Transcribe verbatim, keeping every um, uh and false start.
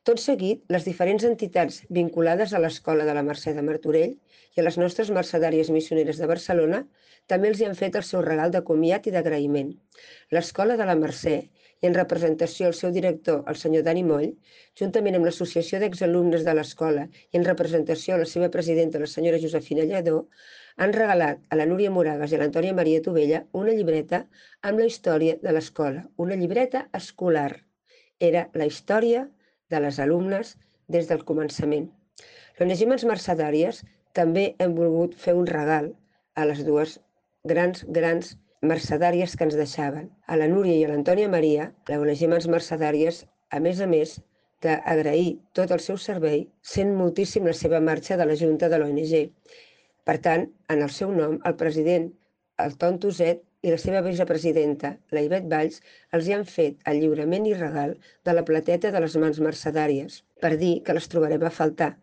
Tot seguit, les diferents entitats vinculades a l'Escola de la Mercè de Martorell i a les nostres mercedàries missioneres de Barcelona també els hi han fet el seu regal de comiat i d'agraïment. L'Escola de la Mercè, i en representació al seu director, el senyor Dani Moll, juntament amb l'Associació d'Exalumnes de l'Escola i en representació a la seva presidenta, la senyora Josefina Lledó, han regalat a la Núria Moragas i a l'Antònia Maria Tovella una llibreta amb la història de l'escola, una llibreta escolar. Era la història de les alumnes des del començament. L'Onesimes Mercedàries també hem volgut fer un regal a les dues grans, grans mercedàries que ens deixaven. A la Núria i a l'Antònia Maria, l'Onesimes Mercedàries, a més a més d'agrair tot el seu servei, sent moltíssim la seva marxa de la Junta de l'O N G. Per tant, en el seu nom, el president, el Ton Tuset, i la seva vicepresidenta, la Ivet Valls, els hi han fet el lliurament i regal de la plateta de les mans mercedàries, per dir que les trobarem a faltar